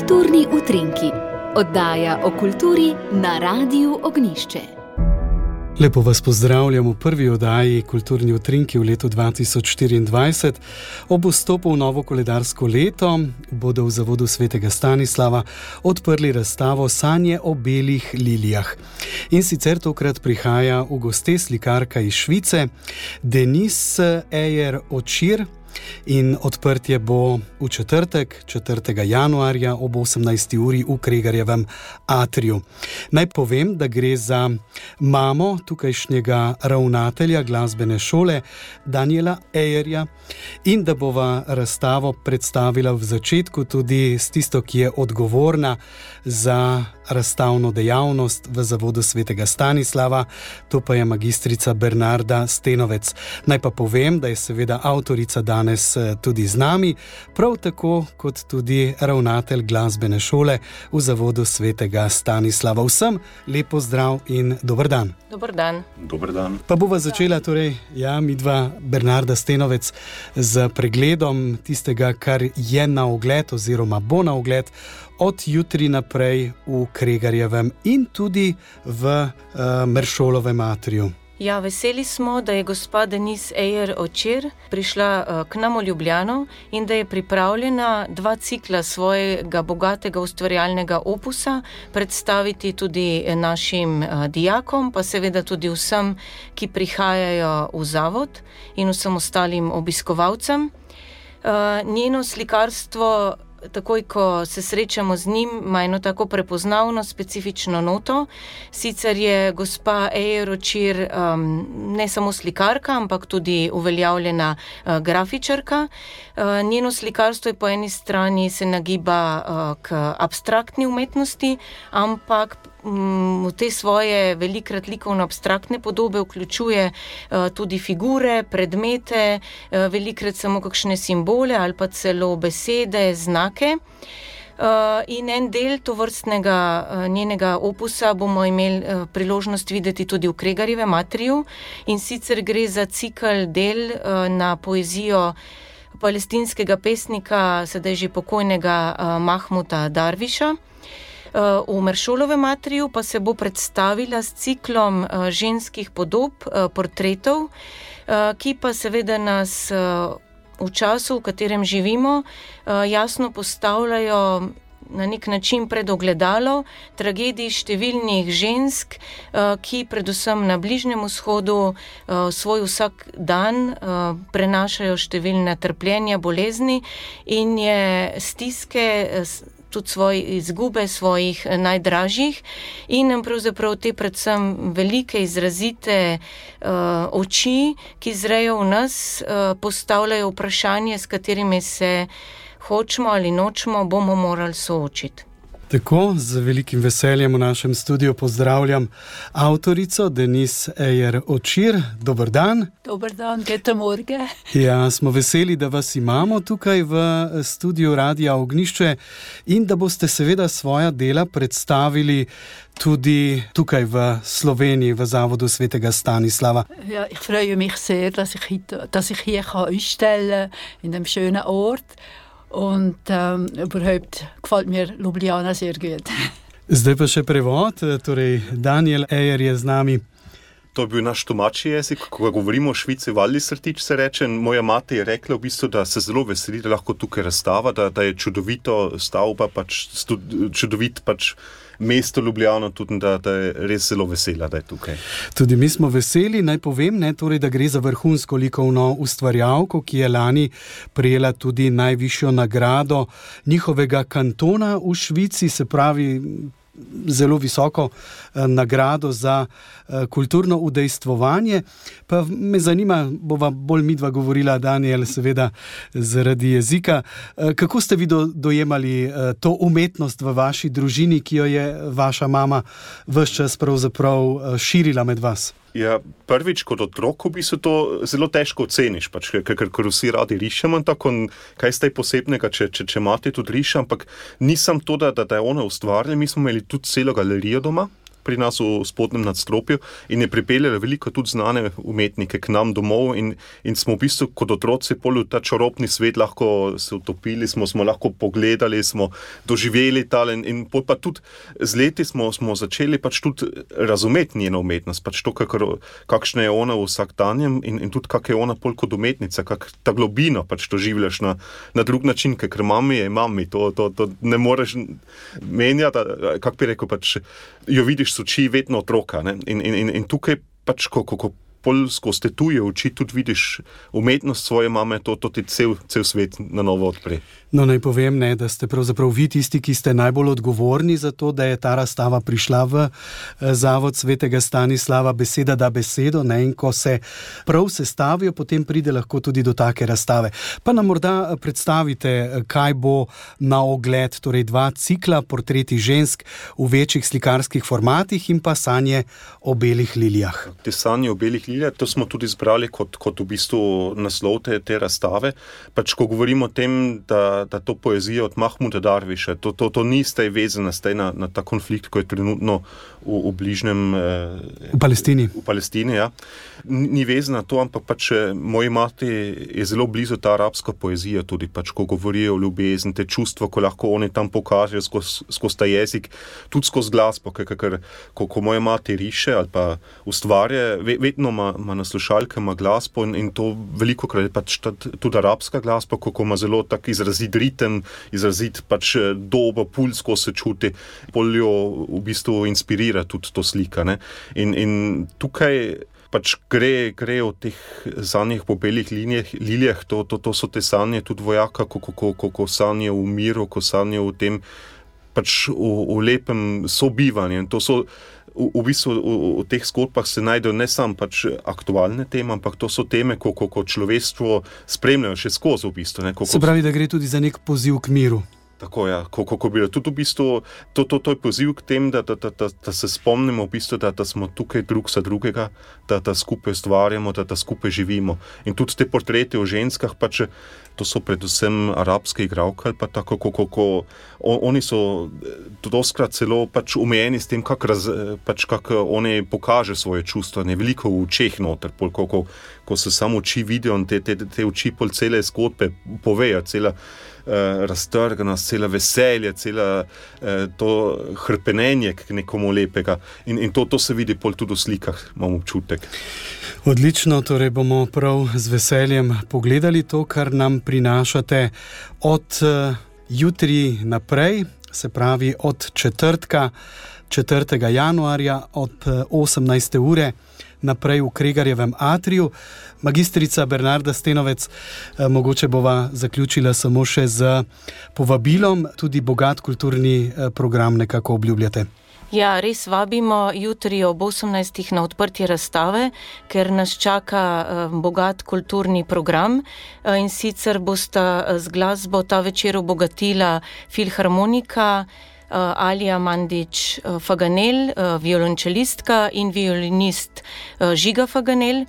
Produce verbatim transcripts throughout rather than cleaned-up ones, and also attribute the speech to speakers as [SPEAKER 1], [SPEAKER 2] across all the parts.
[SPEAKER 1] Kulturni utrinki, oddaja o kulturi na Radiu Ognjišče.
[SPEAKER 2] Lepo vas pozdravljam v prvi oddaji Kulturni utrinki v letu dva tisoč štiriindvajset. Ob vstopu v novo koledarsko leto bodo v Zavodu svetega Stanislava odprli razstavo Sanje o belih lilijah. In sicer tokrat prihaja v goste slikarka iz Švice, Denise Ejer-Očir, in odprtje bo v četrtek, četrtega januarja ob osemnajsti uri v Kregarjevem atriju. Naj povem, da gre za mamo tukajšnjega ravnatelja glasbene šole Daniela Ejerja in da bova razstavo predstavila v začetku tudi s tisto, ki je odgovorna za razstavno dejavnost v Zavodu svetega Stanislava, to pa je magistrica Bernarda Stenovec. Naj pa povem, da je seveda avtorica danes tudi z nami, prav tako kot tudi ravnatelj glasbene šole v Zavodu svetega Stanislava. Vsem lepo zdrav in dober dan.
[SPEAKER 3] Dober dan.
[SPEAKER 4] Dober dan.
[SPEAKER 2] Pa bova začela torej, ja, midva Bernarda Stenovec z pregledom tistega, kar je na ogled oziroma bo na ogled od jutri naprej v Kregarjevem in tudi v uh, Meršolovem atriju.
[SPEAKER 3] Ja, veseli smo, da je gospa Denise Ejer-Očir prišla uh, k nam v Ljubljano in da je pripravljena dva cikla svojega bogatega ustvarjalnega opusa predstaviti tudi našim uh, dijakom, pa seveda tudi vsem, ki prihajajo v zavod in vsem ostalim obiskovalcem. Uh, njeno slikarstvo, takoj ko se srečamo z njim, ima eno tako prepoznavno, specifično noto. Sicer je gospa Ejer-Očir um, ne samo slikarka, ampak tudi uveljavljena uh, grafičarka. Uh, njeno slikarstvo je po eni strani se nagiba uh, k abstraktni umetnosti, ampak v te svoje velikrat likovno abstraktne podobe vključuje uh, tudi figure, predmete, uh, velikrat samo kakšne simbole ali pa celo besede, znake. Uh, in en del tovrstnega uh, njenega opusa bomo imeli uh, priložnost videti tudi v Kregarjevem atriju, in sicer gre za cikel del uh, na poezijo palestinskega pesnika, sedaj že pokojnega uh, Mahmuda Darviša. V Meršolovem atriju pa se bo predstavila s ciklom ženskih podob, portretov, ki pa seveda nas v času, v katerem živimo, jasno postavljajo na nek način pred ogledalo tragedij številnih žensk, ki predvsem na Bližnjem vzhodu svoj vsak dan prenašajo številna trpljenja, bolezni in je stiske, tudi svoje izgube svojih najdražjih, in nam pravzaprav te predvsem velike, izrazite uh, oči, ki zrejo v nas, uh, postavljajo vprašanje, s katerimi se hočemo ali nočemo, bomo morali soočiti.
[SPEAKER 2] Tako, z velikim veseljem v našem studiu pozdravljam avtorico Denise Ejer-Očir. Dober dan.
[SPEAKER 5] Dober dan, guten Morgen.
[SPEAKER 2] Ja, smo veseli, da vas imamo tukaj v studiu Radia Ognjišče in da boste seveda svoja dela predstavili tudi tukaj v Sloveniji, v Zavodu svetega Stanislava.
[SPEAKER 5] Ja, ich freue mich sehr, dass ich, dass ich hier ausstellen kann, in einem schönen Ort. Und ähm, überhaupt gefällt mir Ljubljana sehr gut.
[SPEAKER 2] Zdaj pa še prevod, torej Daniel Ejer je z nami.
[SPEAKER 4] To je bil naš domači jezik, ko govorimo o Švici, Wallisertič se reče. Moja mati je rekla v bistvu, da se zelo veseli, da lahko tukaj razstava, da, da je čudovito stavba, pač, čudovit pač mesto Ljubljana, tudi da, da je res zelo vesela, da je tukaj.
[SPEAKER 2] Tudi mi smo veseli, naj povem, ne, torej, da gre za vrhunsko likovno ustvarjalko, ki je lani prejela tudi najvišjo nagrado njihovega kantona v Švici, se pravi zelo visoko eh, nagrado za eh, kulturno udejstvovanje. Pa me zanima, bova bolj midva govorila, Daniel, seveda zaradi jezika. Eh, kako ste vi do, dojemali eh, to umetnost v vaši družini, ki jo je vaša mama ves čas pravzaprav eh, širila med vas?
[SPEAKER 4] Ja, prvič kot otrok v bistvu to zelo težko oceniš, pač, ker, ker vsi radi rišemo, tako kaj ste posebnega, če, če, če mati tudi riše, ampak nisem to, da, da je ona ustvarjala, mi smo imeli tudi celo galerijo doma, pri nas v spodnjem nadstropju in je pripeljala veliko tudi znane umetnike k nam domov in, in smo v bistvu kot otroci pol v ta čarobni svet lahko se utopili, smo, smo lahko pogledali, smo doživeli tal in, in pa tudi z leti smo, smo začeli pač tudi razumeti njeno umetnost, pač to, kakor, kakšna je ona v vsakdanjem in, in tudi kak je ona pol kot umetnica, kak ta globino pač doživljaš na, na drug način, ker mami je mami, to, to, to ne moreš menjati, kako bi rekel, pač jo vidiš s oči vedno otroka, ne? In, in, in tukaj pač, ko, ko, ko pol skozi te tuje oči tudi vidiš umetnost svoje mame, to, to ti cel, cel svet na novo odpre.
[SPEAKER 2] No, naj povem, ne, da ste pravzaprav vi tisti, ki ste najbolj odgovorni za to, da je ta razstava prišla v Zavod svetega Stanislava. Beseda da besedo, ne, in ko se prav sestavijo, potem pride lahko tudi do take razstave. Pa nam morda predstavite, kaj bo na ogled, torej dva cikla, portreti žensk v večjih slikarskih formatih in pa sanje o belih lilijah.
[SPEAKER 4] Te sanje o belih lilijah, to smo tudi zbrali kot, kot v bistvu naslov te, te razstave. Pač, ko govorimo o tem, da da to poezija od Mahmuda Darviša, to, to, to ni staj vezana staj na, na ta konflikt, ko je trenutno v, v bližnjem... Eh,
[SPEAKER 2] v Palestini.
[SPEAKER 4] V Palestini, ja. Ni vezana to, ampak pač moji mati je zelo blizu ta arabska poezija tudi, pač ko govorijo o ljubezni, te čustva, ko lahko oni tam pokažejo skozi skozi ta jezik, tudi skozi glasbo, ker ko, ko moja mati riše ali pa ustvarja, vedno ima, ima na slušalke, ima glasbo in, in to veliko krat je pač tudi arabska glasba, ko, ko ima zelo tak izrazit ritem, izrazit pač doba, puls, ko se čuti, bolj jo v bistvu inspirira tudi to slika, ne. In, in tukaj pač gre, gre o teh sanjih po belih linijah, lilijah, to, to, to so te sanje tudi vojaka, ko, ko, ko, ko sanje v miru, ko sanje v tem, pač v, v lepem sobivanju. In to so v, v bistvu v, v teh zgodbah se najdejo ne samo pač aktualne teme, ampak to so teme, ko, ko, ko človeštvo spremljajo še skozi v bistvu. Ne, ko,
[SPEAKER 2] se pravi, da gre tudi za nek poziv k miru.
[SPEAKER 4] Tako, ja, ko, ko, ko bi tudi v bistvu, to, to, to je poziv k tem, da, da, da, da, da se spomnimo v bistvu, da, da smo tukaj drug za drugega, da, da skupaj ustvarjamo, da, da skupaj živimo. In tudi te portrete o ženskah, pač to so predvsem arabske igralke, ali pa tako, ko, ko, ko on, oni so doskrat celo pač umejeni s tem, kako pač, kak oni pokaže svoje čustva, ne veliko v očeh noter, pol, ko, ko, ko se samo oči vidijo in te, te, te oči pol cele zgodbe povejo, cela Uh, raztrganost, cela veselje, cela uh, to hrpenenje k nekomu lepega. In, in to, to se vidi pol tudi v slikah, imam občutek.
[SPEAKER 2] Odlično, torej bomo prav z veseljem pogledali to, kar nam prinašate od uh, jutri naprej, se pravi od četrtka, četrtega januarja od uh, osemnajste ure naprej v Kregarjevem atriju. Magistrica Bernarda Stenovec, eh, mogoče bova zaključila samo še z povabilom, tudi bogat kulturni eh, program nekako obljubljate.
[SPEAKER 3] Ja, res vabimo jutri ob osemnajstih na odprtje razstave, ker nas čaka uh, bogat kulturni program uh, in sicer bosta uh, z glasbo ta večer obogatila filharmonika, Uh, Alija Mandić uh, Faganel, uh, violončelistka in violinist uh, Žiga Faganel.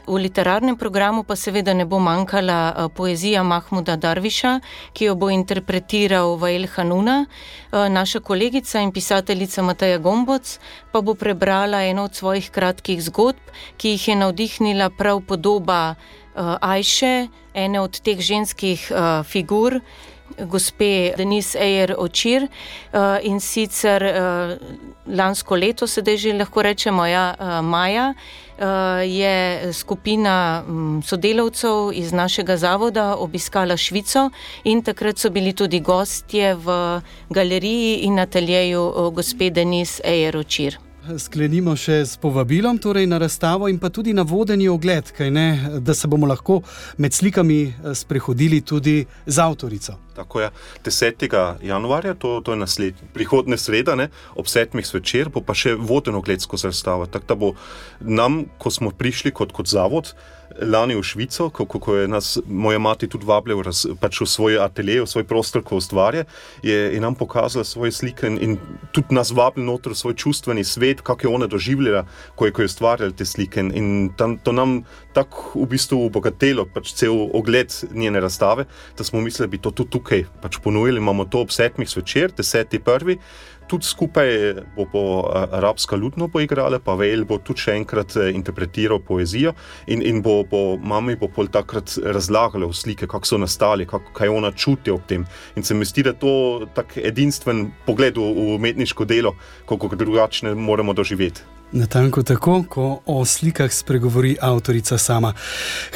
[SPEAKER 3] V literarnem programu pa seveda ne bo manjkala uh, poezija Mahmuda Darviša, ki jo bo interpretiral Vael Hanuna. Uh, naša kolegica in pisateljica Mateja Gomboc pa bo prebrala eno od svojih kratkih zgodb, ki jih je navdihnila prav podoba uh, Ajše, ene od teh ženskih uh, figur, gospe Denise Eyer Očir, uh, in sicer uh, lansko leto, sedaj že lahko rečemo, ja, uh, maja, uh, je skupina um, sodelavcev iz našega zavoda obiskala Švico in takrat so bili tudi gostje v galeriji in ateljeju uh, gospe Denise Eyer Očir.
[SPEAKER 2] Sklenimo še s povabilom, torej na razstavo in pa tudi na vodeni ogled, kaj ne, da se bomo lahko med slikami sprehodili tudi z avtorico.
[SPEAKER 4] Tako je, desetega januarja, to, to je naslednji, prihodne sreda, ne, ob sedmih zvečer, bo pa še voden ogled skozi razstavo. Tako da bo nam, ko smo prišli kot, kot zavod, lani v Švico, ko, ko je nas moja mati tudi vabila v, pač v svoj atelje, v svoj prostor, ko ustvarja, je, je nam pokazala svoje slike in, in tudi nas vabila noter v svoj čustveni svet, kako je ona doživljala, ko je, ko je ustvarjala te slike. In tam, to nam tako v bistvu obogatelo pač cel ogled njene razstave, da smo mislili, da bi to tudi tukaj pač ponujili. Imamo to ob sedmih zvečer, deseti prvi, tudi skupaj bo, bo arabska lutno poigrala, pa Vail bo tudi še enkrat interpretiral poezijo in, in bo, bo mami bo pol takrat razlagala v slike, kako so nastali, kako, kaj ona čuti ob tem. In se mi zdi, da to tak edinstven pogled v, v umetniško delo, kako drugačne moramo doživeti.
[SPEAKER 2] Natanko tako, ko o slikah spregovori avtorica sama.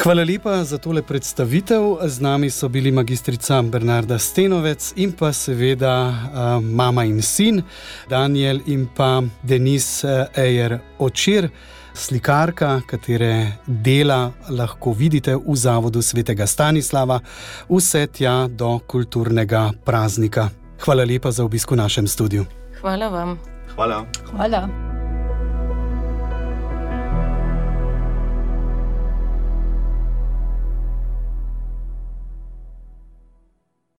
[SPEAKER 2] Hvala lepa za tole predstavitev. Z nami so bili magistrica Bernarda Stenovec in pa seveda uh, mama in sin, Daniel in pa Denis Ejer Očir, slikarka, katere dela lahko vidite v Zavodu svetega Stanislava, vse tja do kulturnega praznika. Hvala lepa za obisk v našem studiu.
[SPEAKER 3] Hvala vam.
[SPEAKER 4] Hvala.
[SPEAKER 5] Hvala.